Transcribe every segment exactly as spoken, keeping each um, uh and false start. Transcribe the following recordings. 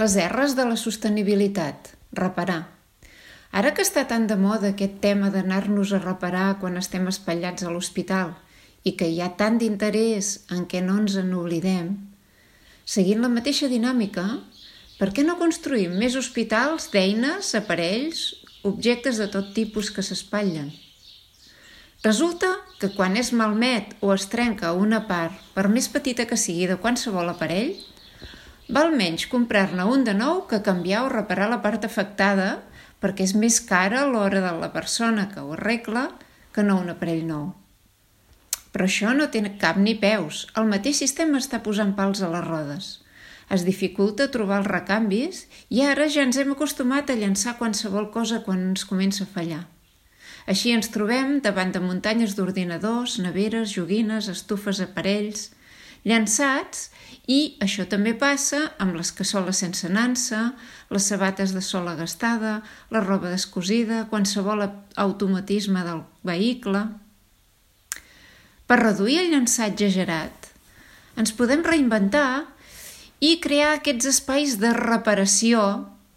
Les erres de la sostenibilitat. Reparar. Ara que està tan de moda aquest tema d'anar-nos a reparar quan estem espatllats a l'hospital i que hi ha tant d'interès en què no ens en oblidem, seguint la mateixa dinàmica, per què no construïm més hospitals d'eines, aparells, objectes de tot tipus que s'espatllen? Resulta que quan es malmet o es trenca una part, per més petita que sigui de qualsevol aparell, val menys comprar-ne un de nou que canviar o reparar la part afectada perquè és més cara a l'hora de la persona que ho arregla que no un aparell nou. Però això no té cap ni peus. El mateix sistema està posant pals a les rodes. Es dificulta trobar els recanvis i ara ja ens hem acostumat a llançar qualsevol cosa quan ens comença a fallar. Així ens trobem davant de muntanyes d'ordinadors, neveres, joguines, estufes, aparells, llançats, i això també passa amb les cassoles sense nansa, les sabates de sola gastada, la roba descosida, qualsevol automatisme del vehicle. Per reduir el llançar exagerat, ens podem reinventar i crear aquests espais de reparació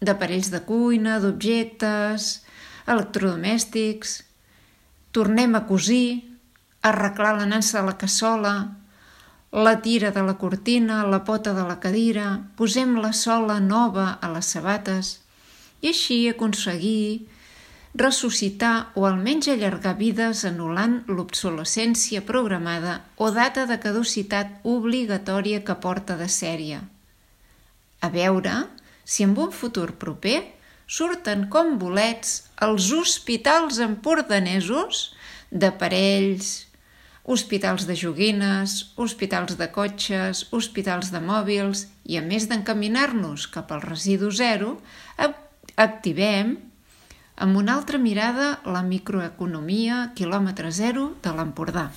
d'aparells de cuina, d'objectes, electrodomèstics. Tornem a cosir, arreglar la nansa de la cassola, la tira de la cortina, la pota de la cadira, posem la sola nova a les sabates i així aconseguir ressuscitar o almenys allargar vides anul·lant l'obsolescència programada o data de caducitat obligatòria que porta de sèrie. A veure si en un futur proper surten com bolets els hospitals empordanesos d'aparells, hospitals de joguines, hospitals de cotxes, hospitals de mòbils i a més d'encaminar-nos cap al residu zero, activem amb una altra mirada la microeconomia quilòmetre zero de l'Empordà.